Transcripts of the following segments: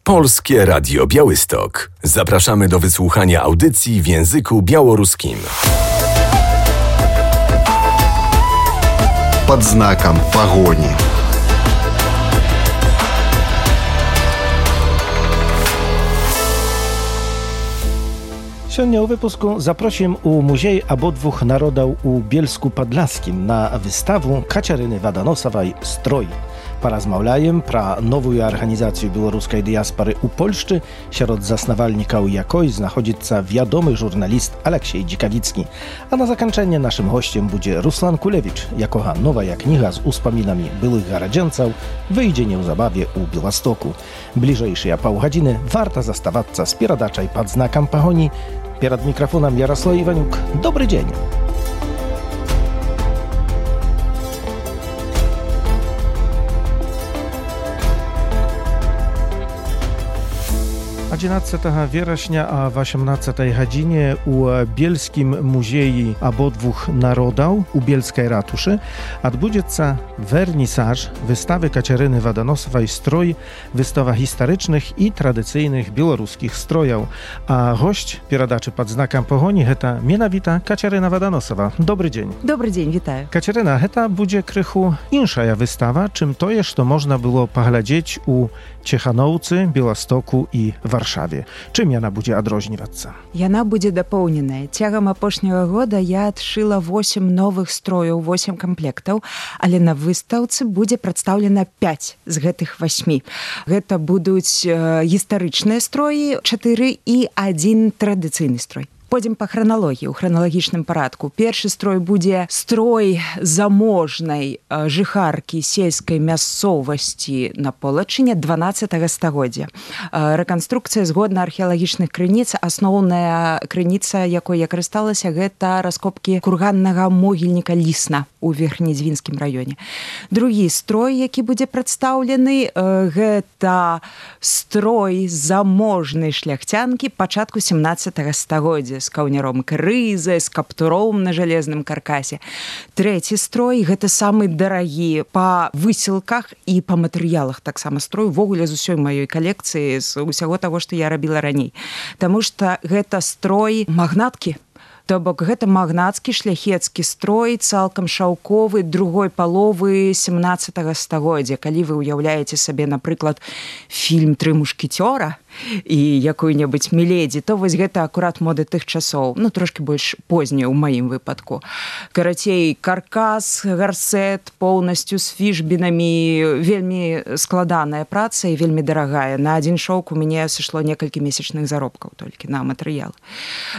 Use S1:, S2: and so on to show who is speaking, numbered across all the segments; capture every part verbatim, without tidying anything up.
S1: Polskie Radio Białystok. Zapraszamy do wysłuchania audycji w języku białoruskim.
S2: Под знаком погони.
S3: Сегодня у выпуску запросим у Музей ободвух народов у Bielsku-Podlaskim na wystawę Kaciaryny Wadanosowaj «Stroj». Porozmawiajem про новую организацию белорусской диаспоры у Польшчы, сярод заснавальнікаў якой знаходзіцца вядомы журналіст Алексей Dzikawicki. А на заканчэнне нашым госцем будзе Руслан Кулевич, якога новая кніга з успамінамі былых гараджанцаў выйдзе неўзабаве ў Беластоку. Бліжэйшыя паўгадзіны варта заставацца з перадачай пад знакам пагоні. Перад мікрафонам Ярослав Іванюк. Добры дзень! jedenastego września a w osiemnastej godzinie u Bielskim Muzeum Obodwóch Narodów u Bielskiej Ratuszy odbędzie się wernisaż wystawy Kaciaryny Wadanosowaj «Stroj», wystawa historycznych i tradycyjnych białoruskich strojów. A gość передачи pod znakiem pogoni to mianowita Kaciaryna Wadanosowa. Dobry dzień.
S4: Dobry dzień, witaj.
S3: Kaciaryna, to będzie krychu insza wystawa, czym to jest, to można było poglądać u Ciechanowcy, Białostoku i Warszawie. Czym ona będzie odróżniać?
S4: Яна будзе дапоўненая. Цягам апошняга года я адшыла восем новых строяў, восем камплектаў, але на выстаўцы будзе прадстаўлена пяць з гэтых васьмі. Гэта будуць э, гістарычныя строі, чатыры і адзін традыцыйны строй. Пойдзем па храналогіі, у храналагічным парадку. Першы строй будзе строй заможнай э, жыхаркі сельскай мясцовасці на Полачыне дванаццатага стагоддзя. Э, рэканструкцыя згодна археалагічных крыніц, асноўная крыніца, якой я карысталася, гэта раскопкі курганнага могільніка Лісна у Верхнедзвінскім раёне. Другі строй, які будзе прадстаўлены, э, гэта строй заможнай шляхцянкі пачатку сямнаццатага стагоддзя з каўняром крызы, з каптуром на жалезным каркасе. Трэці строй – гэта самы дарагі па высілках і па матэрыялах таксама строй, увогуле з усёй маёй калекцыі, з усяго таго, што я рабіла раней. Таму што гэта строй магнаткі. То бок гэта магнацкі шляхецкі строй, цалкам шаўковы другой паловы сямнаццатага стагоддзя. Калі вы ўяўляеце сабе, напрыклад, фільм «Тры мушкецёра» і якую-небудзь «Міледзі», то вось гэта акурат моды тых часоў, ну, трошкі больш позняя ў маім выпадку. Карацей, каркас, гарсет, поўнасцю з фішбінамі, вельмі складаная праца і вельмі дарагая. На адзін шоўк у мяне сышло некалькі месячных заробкаў толькі на матэрыял.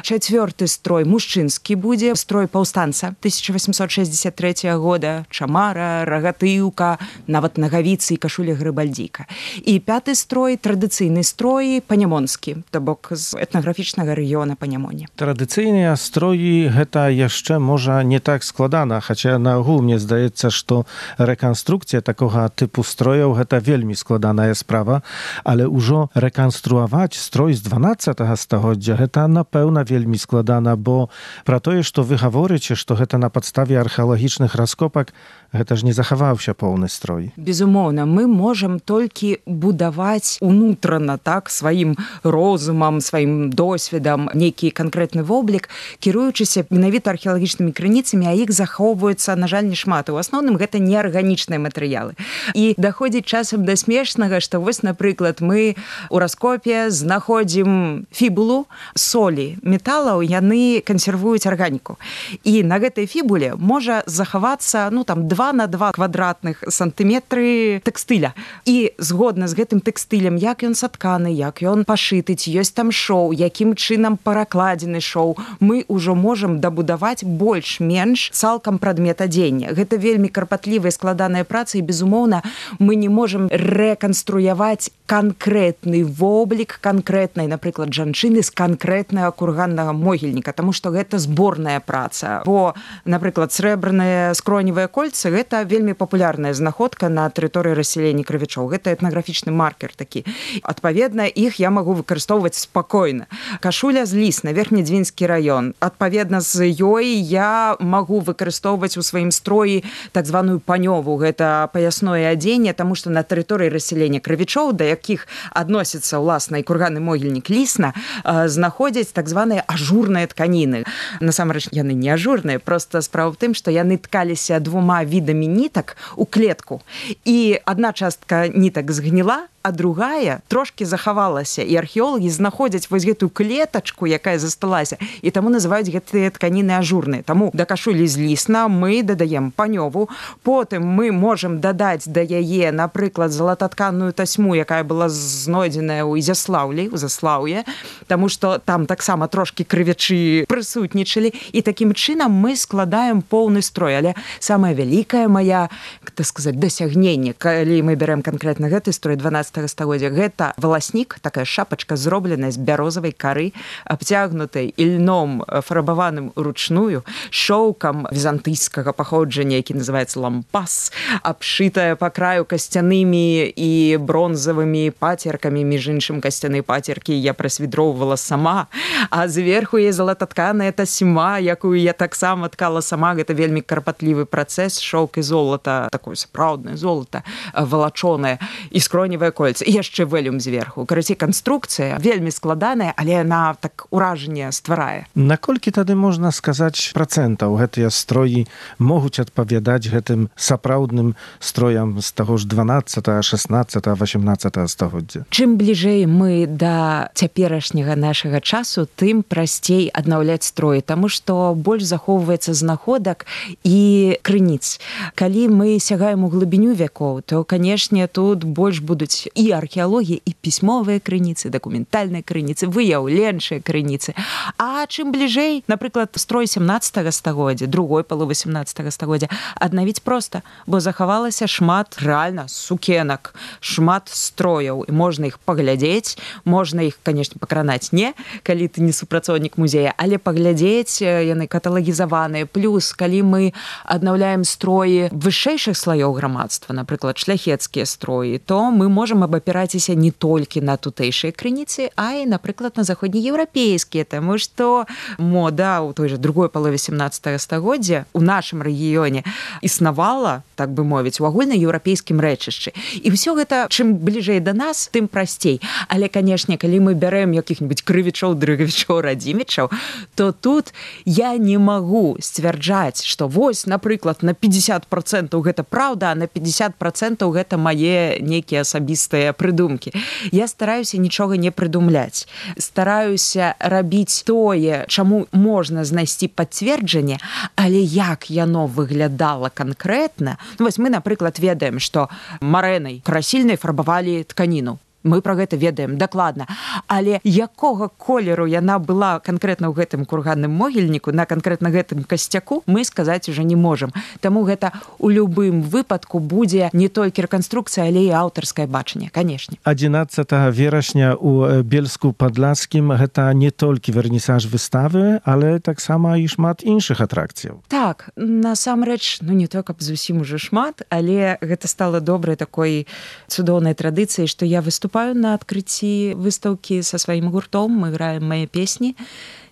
S4: Чацвёрты строй мужчынскі будзе, строй паўстанца тысяча восемьсот шестьдесят третьего года, чамара, рагатыўка, нават нагавіцы і кашуля грыбальдзіка. І пяты строй традыцыйны строй панямонскі, то бок з этнаграфічнага рэгіёна Панямоні.
S3: Традыцыйныя строі гэта яшчэ можа не так складана, хаця наогул мне здаецца, што рэканструкцыя такога тыпу строяў гэта вельмі складаная справа, але ўжо рэканструаваць строй з дванаццатага стагоддзя гэта напэўна вельмі складана, бо пра тое, што вы гаворыце, што гэта на падставе археалагічных раскопак, гэта ж не захаваўся поўны строй.
S4: Безумоўна, мы можам толькі будаваць унутрана, так, сваім розумам, сваім досведам нейкі канкрэтны воблік, кіруючыся менавіта археалагічнымі крыніцамі, а іх захоўваюцца, на жаль, не шмат. У асноўным гэта неарганічныя матэрыялы. І даходзіць часам да смешнага, што вось, напрыклад, мы у раскопе знаходзім фібулу, солі металаў, яны кансервуюць арганіку. І на гэтай фібуле можа захавацца, ну, там, два на два квадратных сантыметры тэкстыля. І згодна з гэтым тэкстылем, як ён сатканы, як ён пашыты, ці ёсць там шоу, якім чынам паракладзены шоу, мы ўжо можам дабудаваць больш-менш цалкам прадмет адзення. Гэта вельмі карпатлівая складаная праца, і, безумоўна, мы не можам рэканструяваць канкрэтны воблік канкрэтнай, напрыклад, жанчыны з канкрэтнага курганнага могільніка, таму што гэта зборная праца. Бо, напрыклад, срэбраныя скроневыя кольцы – гэта вельмі папулярная знаходка на тэрыторыі рассялення крывічоў. Гэта этнаграфічны маркер такі. Адпаведна, іх я магу выкарыстоўваць спакойна. Кашуля з Лісна, Верхнедзвінскі раён. Адпаведна з ёй я магу выкарыстоўваць у сваім строі так званую панёву. Гэта паясное адзенне, таму што на тэрыторыі рассялення крывічоў, да якіх адносіцца ўласна і курганны могільнік Лісна, знаходзяць так званыя ажурныя тканіны. Насамрэч, яны не ажурныя, проста справа в тым, што яны ткаліся двума відамі нітак у клетку. І адна частка нітак згніла, а другая трошки захавалася. І археолагі знаходзяць вось гэтую клетачку, якая засталася, і таму называюць гэтыя тканіны ажурныя. Таму да кашулі з Лісна мы дадаем панёву, потым мы можам дадаць да яе, напрыклад, залататканую тасьму, якая была знойдзеная ў Ізяслаўлі, у Заслаўе, таму што там таксама трошки крывячы прысутнічалі, і такім чынам мы складаем поўны строй. Але самая вялікая моя, так сказаць, дасягненне, калі мы берем канкрэтна гэты строй дванаццатага стагоддзя, гэта валаснік, такая шапачка, зробленая з бярозавай кары, абцягнутай ільном фарбаваным ручную, шоўкам візантыйскага паходжання, які называецца лампас, абшытая па краю касцянымі і бронзавымі пацеркамі, між іншым касцяныя пацеркі я прасвідроўвала сама, а зверху є залататканая тасьма, якую я таксама ткала сама. Гэта вельмі карпатлівы працэс, шоўк і золата, такое сапраўднае золата, валачонае, і скроневае кольца, і яшчэ вэлюм зверху. Карацей, канструкцыя вельмі складаная, але яна так уражанне стварае.
S3: Наколькі тады можна сказаць працэнтаў гэтыя строі могуць адпавядаць гэтым сапраўдным строям з таго ж дванаццатага, шаснаццатага, васямнаццатага стагоддзя?
S4: Чым бліжэй мы да цяперашняга нашага часу, тым прасцей аднаўляць строі, таму што больш захоўваецца знаходак і крыніц. Калі мы сягаем у глыбіню вякоў, то, канешне, тут больш будуць і археалогія, і пісьмовыя крыніцы, дакументальныя крыніцы, выяўленчыя крыніцы. А чым бліжэй, напрыклад, строй сямнаццатага стагоддзя, другой паловы сямнаццатага стагоддзя, аднавіць проста, бо захавалася шмат рэальна сукенак, шмат строяў, і можна іх паглядзець, можна іх, канешне, пакранаць не, калі ты не супрацоўнік музея, але паглядзець, яны каталагізаваныя. Плюс, калі мы аднаўляем строі вышэйшых слаёў грамадства, напрыклад, шляхецкія строі, то мы можам абапіраціся не толькі на тутэйшыя крыніцы, а і, напрыклад, на заходнееўрапейскія, таму што мода ў той жа другой палове сямнаццатага стагоддзя у нашым рэгіёне існавала, так бы мовіць, у агульнаеўрапейскім рэчышчы. І ўсё гэта, чым бліжэй да нас, тым прасцей. Але, канешне, калі мы бярэм якіх-небудзь крывічоў, дрыгавічоў, радзімічаў, то тут я не магу сцвярджаць, што вось, напрыклад, на пятьдесят процентаў гэта праўда, а на пятьдесят процентаў гэта мае нейкія асабістыя прыдумкі. Я стараюся нічога не прыдумляць. Стараюся рабіць тое, чаму можна знайсці пацверджанне, але як яно выглядала канкрэтна. Ну, вось мы, напрыклад, ведаем, што марэнай красільнай фарбавалі тканіну. Мы пра гэта ведаем дакладна. Але якога колеру яна была канкрэтна ў гэтым курганным могільніку, на канкрэтна гэтым касцяку, мы сказаць уже не можам. Таму гэта ў любым выпадку будзе не толькі рэканструкцыя, але і аўтарскае бачанне, канешне.
S3: адзінаццатага верасня ў Бельску-Падласкім гэта не толькі вернісаж выставы, але таксама і шмат іншых атракцыяў.
S4: Так, насамрэч, ну не то, каб зусім уже шмат, але гэта стала добрай такой цудоўнай традыцыяй, што я выступаю на адкрыцці выстаўкі са сваім гуртом, мы граем мае песні.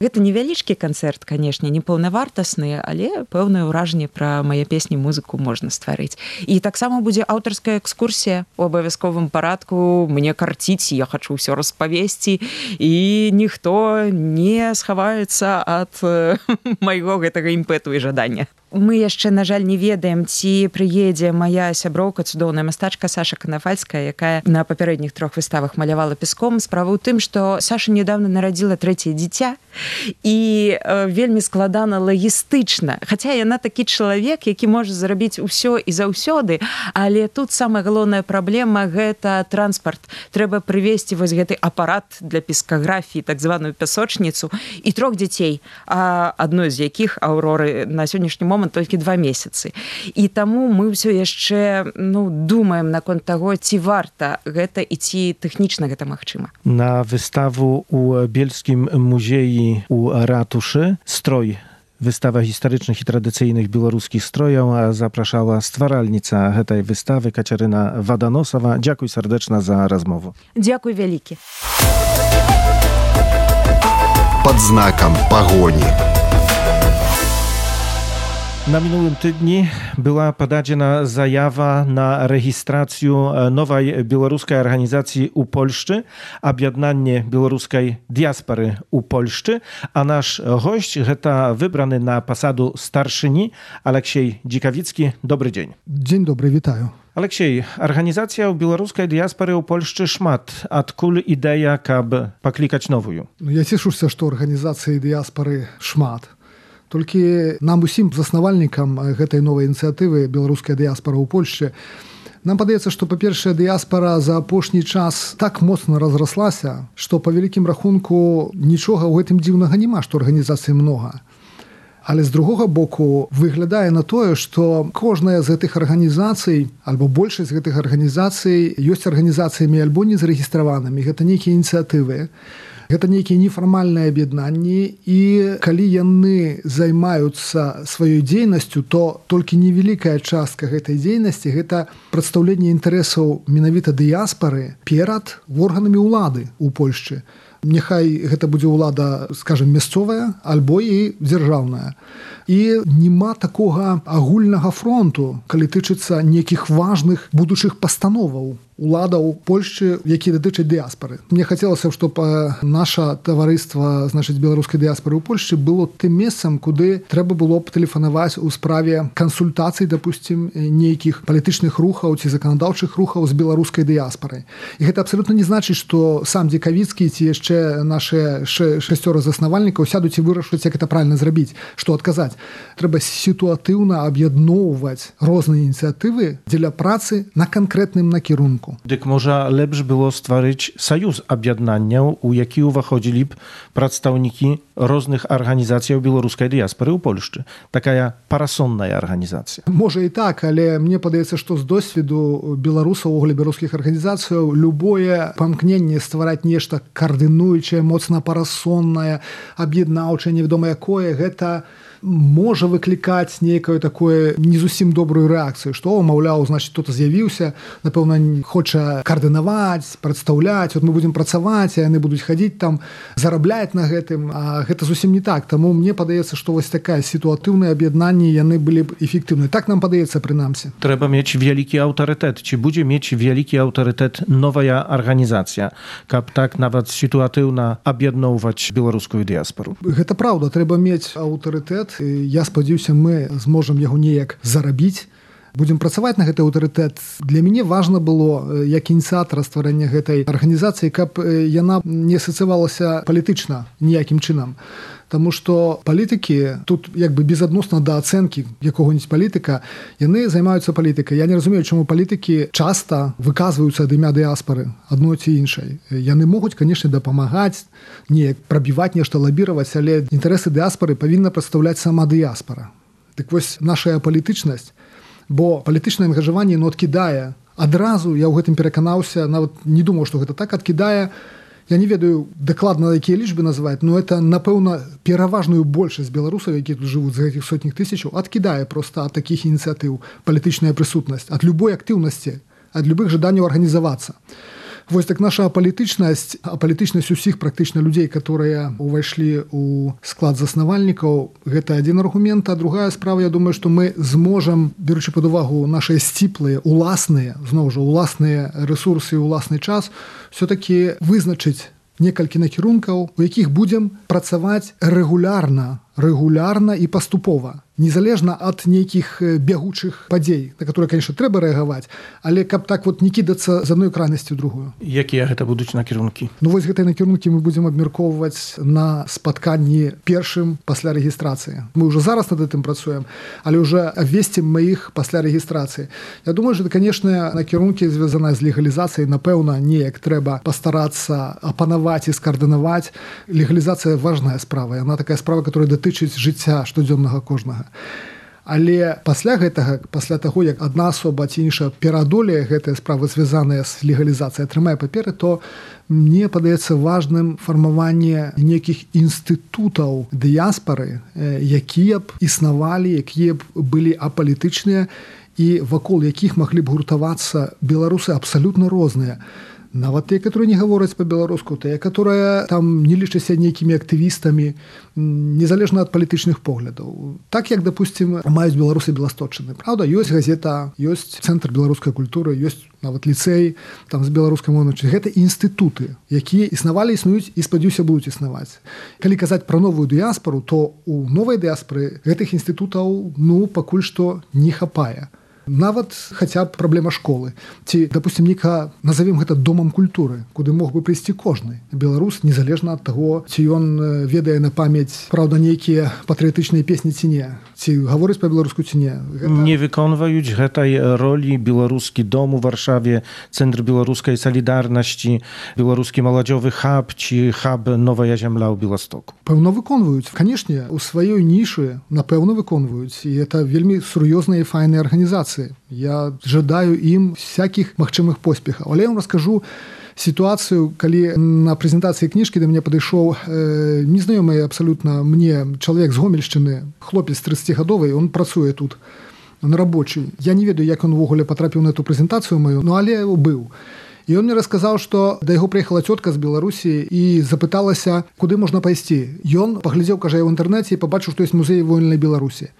S4: Гэта невялічкі канцэрт, канешне, не паўнавартасны, але пэўнае ўражанне пра мае песні, музыку можна стварыць. І таксама будзе аўтарская экскурсія у абавязковым парадку. Мне карціць, я хачу ўсё распавесці, і ніхто не схаваецца ад майго гэтага імпэту і жадання. Мы яшчэ, на жаль, не ведаем, ці прыедзе мая сяброўка, цудоўная мастачка Саша Канафальская, якая на папярэдніх трох выставах малявала песком. Справа ў тым, што Саша недавно нарадзіла трэцяе дзіця, і э, вельмі складана лагістычна. Хаця яна такі чалавек, які можа зрабіць усё і заўсёды, але тут самая галоўная праблема – гэта транспарт. Трэба прывезці вось гэты апарат для пескаграфіі, так званую пясочніцу, і трох дзяцей, а адной з якіх, Аўроры, на сённяшні момант толькі два месяцы. І таму мы ўсё яшчэ ну, думаем наконт таго, ці варта гэта і ці тэхнічна гэта магчыма.
S3: На выставу ў Бельскім музеі у ратушы «Строй». Wystawa historycznych i tradycyjnych białoruskich strojów zapraszała stwaralnica tej wystawy Kaciaryna Wadanosowa. Dziękuję serdecznie za rozmowę.
S4: Dziękuję wielkie.
S2: Под знаком погони.
S3: Na minulym tygodniu była podana zajawa na rejestrację nowej białoruskiej organizacji u Polszczy, objednanie białoruskiej diaspory u Polszczy, a nasz gość to wybrany na posadu starszyni Aleksiej Dzikawicki. Dobry dzień.
S5: Dzień dobry, witaję.
S3: Aleksiej, organizacja białoruskiej diaspory u Polszczy szmat. Odkąd idea, aby poklikać nową?
S5: No, ja cieszę się, że organizacji diaspory szmat. Tylko nam усім заснавальнікам гэтай новай ініцыятывы беларуская дыяспара ў Польшчы нам падаецца, што па-першае дыяспара за апошні час так моцна разраслася, што па вялікім рахунку нічога ў гэтым дзіўнага няма, што арганізацый многа. Але з другога боку выглядае на тое, што кожная з гэтых арганізацый альбо большасць гэтых арганізацый ёсць арганізацыямі альбо не зарэгістраванымі. Гэта нейкія ініцыятывы. Гэта нейкія нефармальныя аб'яднанні, і калі яны займаюцца сваёй дзейнасцю, то толькі невялікая частка гэтай дзейнасці гэта прадстаўленне інтарэсаў менавіта дыяспары перад органамі ўлады ў Польшчы. Няхай гэта будзе ўлада, скажем, мясцовая альбо і дзяржаўная. І няма такога агульнага фронту, калі тычыцца нейкіх важных будучых пастановаў уладаў Польшчы, якія датычаць дыяспары. Мне хацелася, щоб наша таварыства, значыць, беларускай дыяспары ў Польшчы было тым месцам, куды трэба было б тэлефанаваць у справе кансультацый, допустим, нейкіх палітычных рухаў ці заканадаўчых рухаў з беларускай дыяспарай. І гэта абсалютна не значыць, што сам Дзікавіцкі ці яшчэ нашы шасцёра заснавальнікаў сядуць і вырашаць, як гэта правильно зрабіць, што адказаць. Трэба сітуатыўна аб'ядноўваць розныя ініцыятывы дзеля працы на канкрэтным накірунку.
S3: Дык можа лепш было стварыць саюз аб'яднанняў, у які ўваходзілі б прадстаўнікі розных арганізацыяў беларускай дыяспары ў Польшчы. Такая парасонная арганізацыя.
S5: Можа і так, але мне падаецца, што з досведу беларусаў у беларускіх арганізацыяў любое памкненне ствараць нешта каардынуючае, моцна парасоннае, аб'яднаўчае, невядома якое, гэта можа выклікаць нейкую такое не зусім добрую рэакцыю, што, маўляў, значыць, хто-то з'явіўся, напэўна, хоча каардынаваць, прадстаўляць, вот мы будзем працаваць, а яны будуць хадзіць там, зарабляць на гэтым, а гэта зусім не так. Таму мне падаецца, што вось такая сітуатыўнае аб'яднанне, яны былі б эфектыўныя. Так нам падаецца, прынамсі.
S3: Трэба мець вялікі аўтарытэт. Ці будзе мець вялікі аўтарытэт новая арганізацыя, каб так нават сітуатыўна аб'ядноўваць беларускую дыяспару?
S5: Гэта праўда, трэба мець аўтарытэт. Я спадзяюся, мы зможам яго неяк зарабіць. Будзем працаваць на гэты аўтарытэт. Для мяне важна было, як ініцыятара стварэння гэтай арганізацыі, каб яна не асацыявалася палітычна ніякім чынам. Таму што палітыкі, тут як бы безадносна да ацэнкі якога-нибудь палітыка, яны займаюцца палітыкай. Я не разумею, чаму палітыкі часта выказваюцца ад імя дыяспары, адной ці іншай. Яны могуць, канешне, дапамагаць, неяк прабіваць нешта, лабіраваць, але інтарэсы дыяспары павінна прадстаўляць сама дыяспара. Дык вось наша палітычнасць, бо палітычнае ангажаванне, ну, адкідае. Адразу я ў гэтым пераканаўся, нават не думаў, што гэта так, адкідае. Я не ведаю дакладна, якія лічбы называць, но это, напэўна, пераважную большасць беларусаў, якія тут жывуць з гэтых сотнях тысячаў, адкідае проста ад такіх ініцыятыў палітычная прысутнасць, ад любой актыўнасці, ад любых жаданняў арганізавацца. Вось так наша палітычнасць, а палітычнасць усіх практычна людзей, которые ўвайшлі ў склад заснавальнікаў, гэта адзін аргумент, а другая справа, я думаю, што мы зможам, беручы пад увагу нашыя сціплыя, уласныя, зноў жа, уласныя рэсурсы і уласны час, все-таки вызначыць некалькі накірункаў, у якіх будзем працаваць рэгулярна, рэгулярна і паступова. Незалежна ад нейкіх бягучых падзей, на которые, конечно, трэба рэагаваць, але каб так вот не кідацца з адной крайнасці ў другую.
S3: Якія гэта будуць накірункі?
S5: Ну вось гэтыя накірункі мы будзем абмяркоўваць на спатканні першым пасля рэгістрацыі. Мы ўжо зараз над гэтым працуем, але ўжо абвесцім мы іх пасля рэгістрацыі. Я думаю, што, конечно, накірункі звязаныя з легалізацыяй, напэўна, неяк трэба пастарацца апанаваць і скаардынаваць. Легалізацыя важная справа, яна такая справа, которая датычыць жыцця штодзённага кожнага. Але пасля гэтага, пасля таго, як адна асоба ці іншая пераадолее гэтыя справы, звязаныя з легалізацыяй, атрымае паперы, то мне падаецца важным фармаванне нейкіх інстытутаў дыяспары, якія б існавалі, якія б былі апалітычныя і вакол якіх маглі б гуртавацца беларусы абсалютна розныя. нават тыя, которые не гавораць па-беларуску, тыя, которые там не лічацца нейкімі актывістамі, незалежна ад палітычных поглядаў. Так як, допустим, маюць беларусы беласточчыны. Праўда, ёсць газета, ёсць цэнтр беларускай культуры, ёсць нават ліцэй там з беларускай мовай. Гэта інстытуты, якія існавалі, існуюць і, спадзяюся, будуць існаваць. Калі казаць пра новую дыяспару, то у новай дыяспары гэтых інстытутаў, ну, пакуль што не хапае. Нават хаця б праблема школы. Ці, допустим, нека назовем гэта домам культуры, куды мог бы прыйсці кожны беларус, незалежна ад таго, ці ён ведае на памяць, праўда, нейкія патрыятычныя песні ці не, ці гаворыць па-беларуску ці не.
S3: Гэта... Не выконваюць гэтай ролі беларускі дом у Варшаве, цэнтр беларускай салідарнасці, беларускі маладзёвы хаб ці хаб Новая зямля ў Беластоку.
S5: Пэўна выконваюць. Канешне, у сваёй нішы, напэўна, выконваюць. І это вельмі сур'ёзныя і файныя арганізацыі. Я жадаю ім всякіх магчымых поспехаў. Але я вам раскажу сітуацыю, калі на прэзентацыі кніжкі да мяне падышоў э, незнаёмы абсалютна мне чалавек з Гомельшчыны, хлопец трыццацігадовы, он працуе тут на рабочий. Я не ведаю, як он увогуле патрапіў на эту прэзентацыю маю, но але быў. І он мне расказаў, што да яго прыехала цётка з Беларусі і запыталася, куды можна пайсці. Ён паглядзеў, кажа, ў інтэрнэце і пабачыў, што ёсць музей вольнай Беларусі.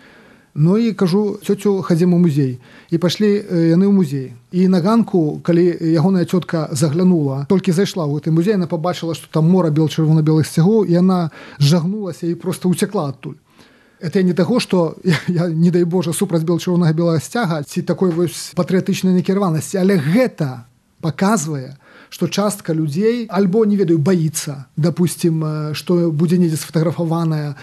S5: Ну і кажу, цёцю, хадзім у музей. І пашлі яны ў музей. І на ганку, калі ягоная цётка заглянула, толькі зайшла ў гэты музей, яна пабачыла, што там мора бел-чырвона-белых сцягоў, і яна зжагнулася і проста ўцякла адтуль. Это не таго, што я, я не дай Божа, супраць бел-чырвонага белага сцяга, ці такой вось патрыятычнай накіраванасці, але гэта паказвае, што частка людзей альбо, не ведаю, баіцца, допустим, што будзе недзе сфотаграфаваная,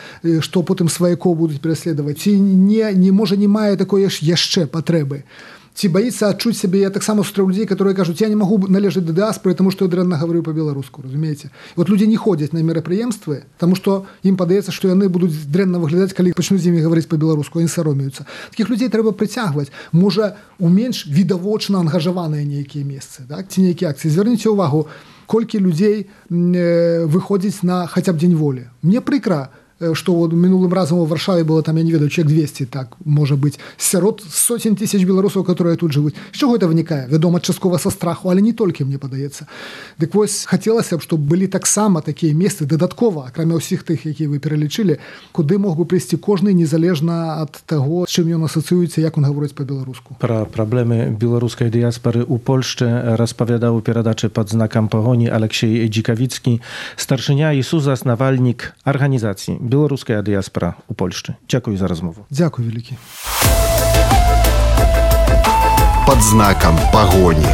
S5: што потым сваякоў будуць пераследаваць, ці не, не можа не мае такой яшчэ патрэбы. Ці баіцца адчуць сябе, я таксама сустрэў людзей, которые кажуць, я не магу належаць да дыаспоры, таму што я дрэнна гаварыў па-беларуску, разумееце? І вот людзі не ходзяць на мерапрыемствы, таму што ім падаецца, што яны будуць дрэнна выглядаць, калі пачнуць з імі гаварыць па-беларуску, яны саромеюцца. Такіх людзей трэба прыцягваць. Можа, у менш відавочна ангажаваныя нейкія месцы, так? Ці нейкія акцыі. Звярніце ўвагу, колькі людзей э, выходзіць на хаця б дзень волі. Мне прыкра, што мінулым разам у Варшаве было там, я не ведаю, чалавек двесце, так, можа быць, сярод сотень тысяч беларусаў, которые тут жывуць. З чаго гэта вынікае? Вядома, часткова са страху, але не толькі, мне падаецца. Дык вось, хацелася б, щоб былі таксама такія месцы дадаткова, акрамя ўсіх тых, якія вы пералічылі, куды мог бы прыйсці кожны, незалежна ад таго, з чым ён асацыюецца, як он гаворыць па-беларуску.
S3: Пра праблемы беларускай дыяспары ў Польшчы распавядаў у перадачы пад знакам пагоні Алексей Dzikawicki, старшыня і сузаснавальнік арганізацыі Беларуская дыяспара ў Польшчы. Дзякую за размову.
S5: Дзякуй вялікі.
S2: Пад знакам пагоні.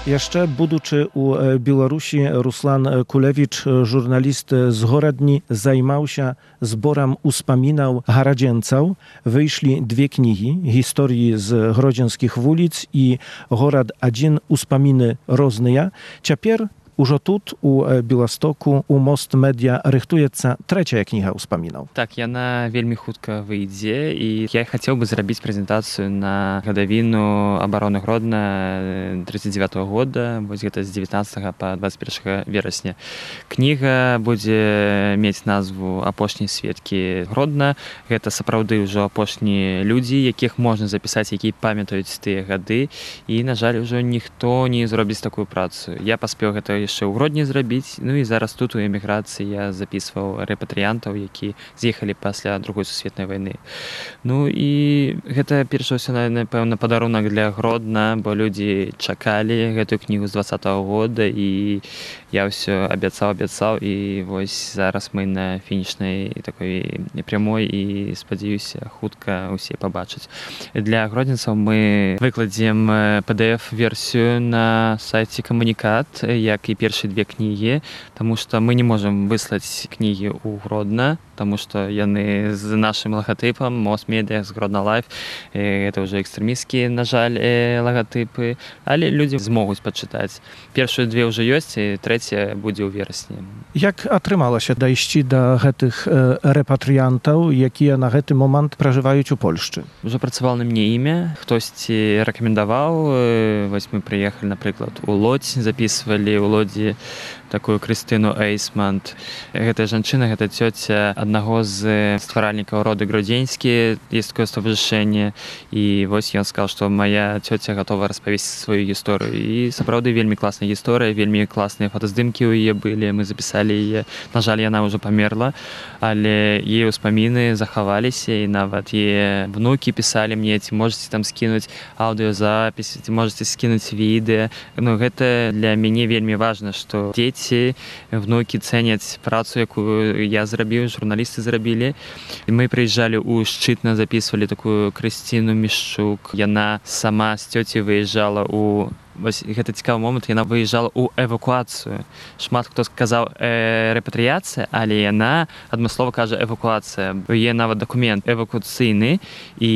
S3: Яшчэ будучы ў Беларусі, Руслан Кулевіч, журналіст з горадні, займаўся зборам успамінаў гарадзенцаў. Выйшлі две кнігі, гісторыі з гродзенскіх вуліц і горад адзін успаміны розныя. Цяпер Ужо тут, у Беластоку, у Most Media рыхтуецца трэцяя кніга ўспамінаў.
S6: Так, яна вельмі хутка выйдзе, і я хацеў бы зрабіць прэзентацыю на гадавіну абароны Гродна тридцать девятого года, вось гэта з дзевятнаццатага па двадцать першага верасня. Кніга будзе мець назву «Апошнія сведкі Гродна». Гэта сапраўды ўжо апошнія людзі, якіх можна запісаць, якія памятаюць тыя гады, і, на жаль, ужо ніхто не зробіць такую працу. Я паспеў гэта яшчэ ў Гродні зрабіць. Ну і зараз тут у эміграцыі я запісваў рэпатрыянтаў, які з'ехалі пасля другой сусветнай вайны. Ну і гэта перш за ўсё, напэўна, падарунак для Гродна, бо людзі чакалі гэтую кнігу з двадцатого года, і я ўсё абяцаў, абяцаў, і вось зараз мы на фінішнай такой прямой, і спадзяюся, хутка ўсе пабачаць. Для гродзенцаў мы выкладзем пи ди эф-версію на сайце Камунікат, як і першыя две кнігі, таму што мы не можам выслаць кнігі ў Гродна, таму што яны з нашым лагатыпам Most Media, з Гродна Лайф. Гэта ўжо экстрэмісцкія, на жаль, лагатыпы, але людзі змогуць пачытаць. Першыя две ўжо ёсць, і трэцяя будзе ў верасні.
S3: Як атрымалася дайсці да гэтых рэпатрыянтаў, якія на гэты момант пражываюць у Польшчы?
S6: Ужо працавала на мне імя, хтосьці рэкамендаваў. Вось мы прыехалі, напрыклад, у Лодзь, запісвалі ў Лодзі такую Крыстыну Эйсмант. Гэтая жанчына, гэта цёця аднаго з стваральнікаў роду Гродзенскі, есть такое стобажэнне. І вось ён сказаў, што моя цёця гатова распавесці сваю гісторыю. І сапраўды вельмі класная гісторыя, вельмі класныя фотаздымкі ў яе былі, мы запісалі яе. На жаль, яна ўжо памерла, але яе ўспаміны захаваліся, і нават яе внукі пісалі мне, ці можаце там скінуць аўдыёзапіс, ці можаце скінуць відэа. Ну, гэта для мяне вельмі важна, што дзеці, внукі цэняць працу, якую я зрабіў, журналісты зрабілі. І мы прыязджалі ў Шчытна, запісвалі такую Крысціну Мішчук. Яна сама з цёцяй выязджала ў Вось гэта цікавы момант, яна выязджала ў эвакуацыю. Шмат хто сказаў э, рэпатрыяцыя, але яна адмыслова кажа эвакуацыя. Яе нават дакумент эвакуацыйны, і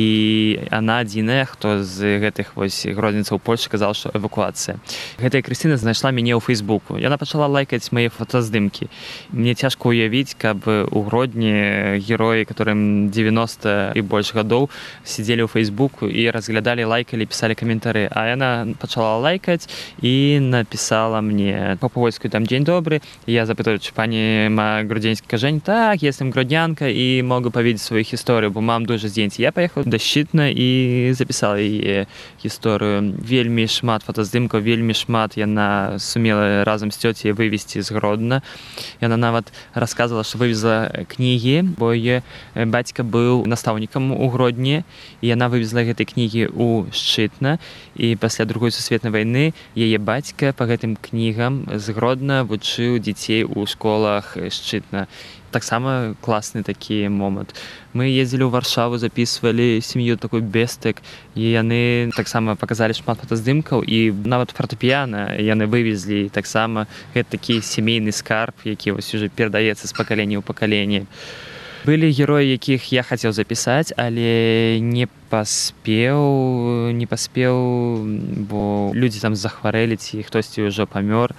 S6: яна адзіная, хто з гэтых вось гродзенцаў Польшы казаў, што эвакуацыя. Гэтая Крысціна знайшла мяне ў Фейсбуку. Яна пачала лайкаць мае фотаздымкі. Мне цяжка ўявіць, каб у Гродні героі, которым дзевяноста і больш гадоў, сидзелі ў Фейсбуку і разглядалі, лайкалі, пісалі каментары. А яна пачала лайкаць и написала мне по-польски там «День добрый». Я запитаю, чи пані ма гродзенське кажень? Так, я сам гроднянка и могу поведать свою историю, бо мам дуже здзець. Я поехал до Шчытна и записал яе историю. Вельмі шмат фотаздымкаў, вельмі шмат яна сумела разом с тёцей вывезти з Гродна. Яна нават рассказывала, что вывезла книги, бо яе бацька был настаўнікам у Гродні, и яна вывезла гэтай книги у Шчытна, и пасля другой сусветнай вайны яе бацька па гэтым кнігам з Гродна вучыў дзяцей у школах Шчытна. Таксама класны такі момант. Мы ездзілі ў Варшаву, запісвалі сям'ю такой Бестек, і яны таксама паказалі шмат фотаздымкаў, і нават фартэпіяна яны вывезлі. Таксама гэта такі сямейны скарб, які вось уже перадаецца з пакалення ў пакаленне. Былі героі, якіх я хацеў запісаць, але не паспеў, не паспеў, бо людзі там захварэлі, ці хтосьці ўжо памёр.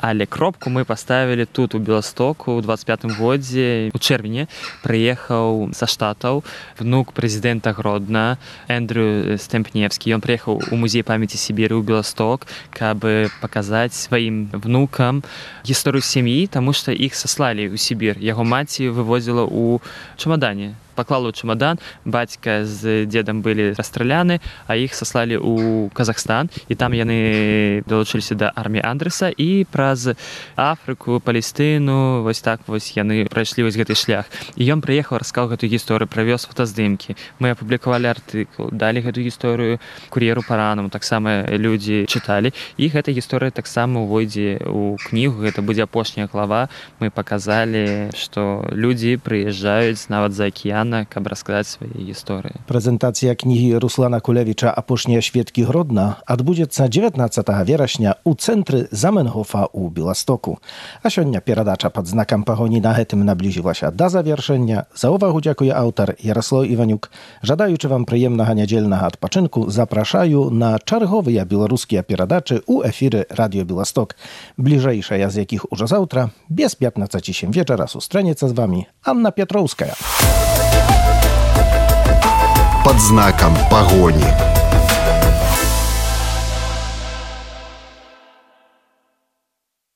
S6: Але кропку мы паставілі тут, у Беластоку, у дваццаць пятым годзе. У чэрвені прыехаў са Штатаў внук прэзідэнта Гродна, Эндрю Стэмпневскі. Ён прыехаў у музей памяці Сібіры ў Беласток, каб паказаць сваім внукам гісторыю сям'і, таму што іх саслалі ў Сібір. Яго маці вывозіла ў чамадане. Паклала ў чамадан, бацька з дзедам былі расстраляны, а іх саслалі ў Казахстан, і там яны далучыліся да арміі Андрэса, і праз Афрыку, Палестыну, вось так вось яны прайшлі вось гэты шлях. І ён прыехаў, расказаў гэтую гісторыю, правёз фотаздымкі. Мы апублікавалі артыкул, далі гэтую гісторыю кур'еру паранаму, таксама людзі чыталі, і гэта гісторыя таксама ўвойдзе ў кнігу, гэта будзе апошняя глава. Мы паказалі, што людзі прыязджаюць нават за акіян, каб расказаць свае гісторыі.
S3: Прэзентацыя кнігі Руслана Кулевіча «Апошнія сведкі Гродна» адбудзецца дзевятнаццатага верасня ў цэнтры Заменгофа ў Беластоку. А сёння перадача пад знакам пагоні на гэтым наблізілася да завяршэння. За увагу дзякуе аўтар Яраслаў Іванюк. Жадаючы вам прыемнага нядзельнага адпачынку, запрашаю на чарговыя беларускія перадачы ў эфіры Радыё Беласток, бліжэйшая з якіх ужо заўтра, без пятнаццаці сем вечара сустрэнецца з вамі Анна Пятроўская.
S2: Под знаком погони.